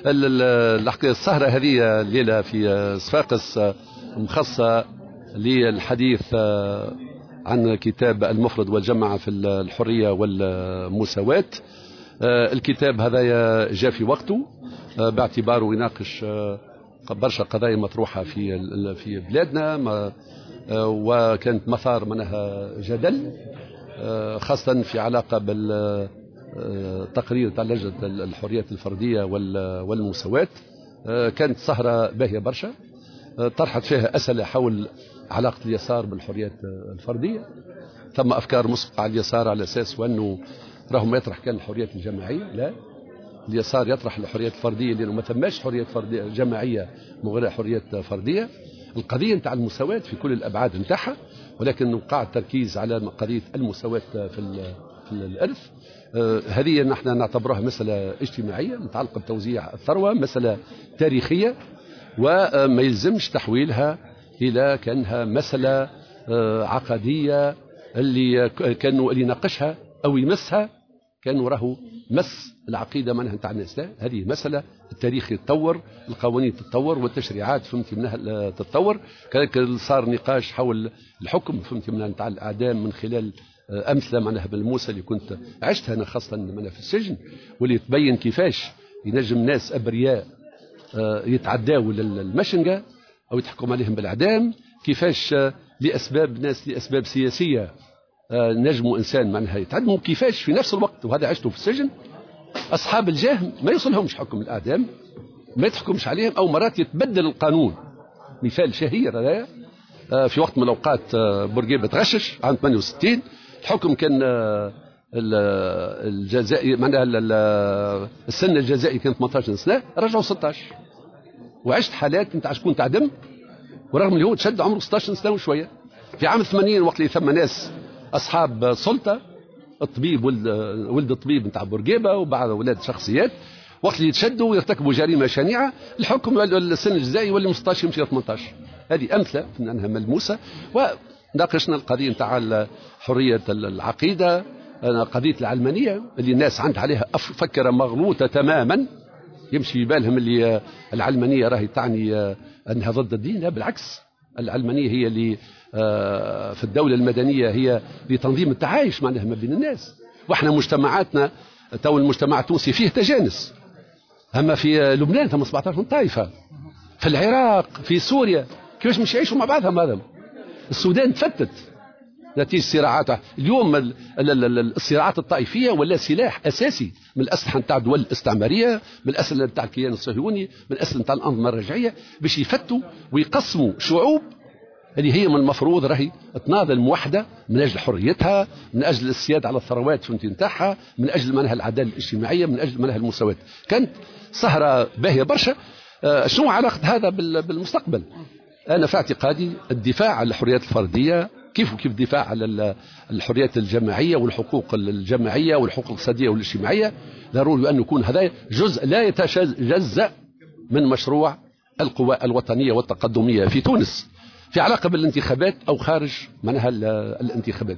السهرة هذه الليلة في صفاقس مخصصة للحديث عن كتاب المفرد والجمع في الحرية والمساواة. الكتاب هذا جاء في وقته باعتباره يناقش برشا قضايا مطروحة في بلادنا، وكانت مثار منها جدل، خاصة في علاقة بالتقرير تاع لجنة الحريات الفردية والمساواة. كانت سهرة باهية برشا، طرحت فيها أسئلة حول علاقة اليسار بالحريات الفردية. ثم أفكار مسبقة على اليسار على أساس وأنه راهم ما يطرح كان الحريات الجماعية. لا، اليسار يطرح الحريات الفردية لأنه ما ثماش حريات فردية جماعية من غير حريات فردية. القضية نتاع المساواة في كل الأبعاد نتاعها، ولكن وقع التركيز على قضية المساواة في الإرث. هذه نحن نعتبرها مسألة اجتماعية متعلقة بتوزيع الثروة، مسألة تاريخية، وما يلزمش تحويلها إلى كأنها مسألة عقدية اللي كانوا اللي يناقشها أو يمسها كانوا راهو مس العقيدة منها نتاع الناس. لا، هذه مسألة التاريخ يتطور، القوانين تتطور، والتشريعات فهمتي منها تتطور. كذلك صار نقاش حول الحكم فهمتي منها نتاع الإعدام من خلال أمثلة معناها بالموسى اللي كنت عشتها أنا خاصة منها في السجن، واللي تبين كيفاش ينجم ناس أبرياء يتعداوا للمشنقة أو يتحكم عليهم بالإعدام، كيفاش لأسباب ناس لأسباب سياسية نجموا إنسان معناها يتعدموا، كيفاش في نفس الوقت وهذا عشته في السجن أصحاب الجاه ما يوصلهمش حكم الإعدام، ما يتحكمش عليهم، أو مرات يتبدل القانون. مثال شهير هذا في وقت من الأوقات بورقيبة تغشش عام 68، الحكم كان الجزائي معناها السن الجزائي كان 18 سنة، رجعوا 16. وعشت حالات نتاع شكون تعدم ورغم اللي هو تشد عمره 16 سنة وشوية. في عام 80 وقت اللي ثم ناس أصحاب سلطة، الطبيب ولد الطبيب نتاع بورقيبة وبعض أولاد شخصيات، وقت اللي يتشدوا ويرتكبوا جريمة شنيعة الحكم السن الجزائي يولي 16 يمشي 18. هذه أمثلة أنها ملموسة. وناقشنا القضية نتاع حرية العقيدة، قضية العلمانية اللي الناس عندها عليها فكرة مغلوطة تماما، يمشي بالهم اللي العلمانية راهي تعني أنها ضد الدين. لا، بالعكس، العلمانية هي اللي في الدولة المدنية هي لتنظيم التعايش معناها ما بين الناس. واحنا مجتمعاتنا تو المجتمع التونسي فيه تجانس، أما في لبنان ثم 17 طائفة، في العراق، في سوريا، كيفاش مش يعيشوا مع بعضهم؟ هذا السودان تفتت نتيجة صراعات. اليوم الصراعات الطائفية ولا سلاح أساسي من الأسلحة نتاع الدول الاستعمارية، من الأسلحة نتاع الكيان الصهيوني، من الأسلحة نتاع الأنظمة الرجعية، باش يفتوا ويقسموا شعوب اللي هي من المفروض راهي تناضل موحدة من أجل حريتها، من أجل السيادة على الثروات نتاعها، من أجل منها العدالة الاجتماعية، من أجل منها المساواة. كانت سهرة باهية برشا. شنو علاقة هذا بالمستقبل؟ أنا في اعتقادي الدفاع على الحريات الفردية كيف وكيف الدفاع على الحريات الجماعية والحقوق الجماعية والحقوق الاقتصادية والاجتماعية، ضروري أن يكون هذا جزء لا يتجزأ من مشروع القوى الوطنية والتقدمية في تونس، في علاقة بالانتخابات أو خارج منها الانتخابات.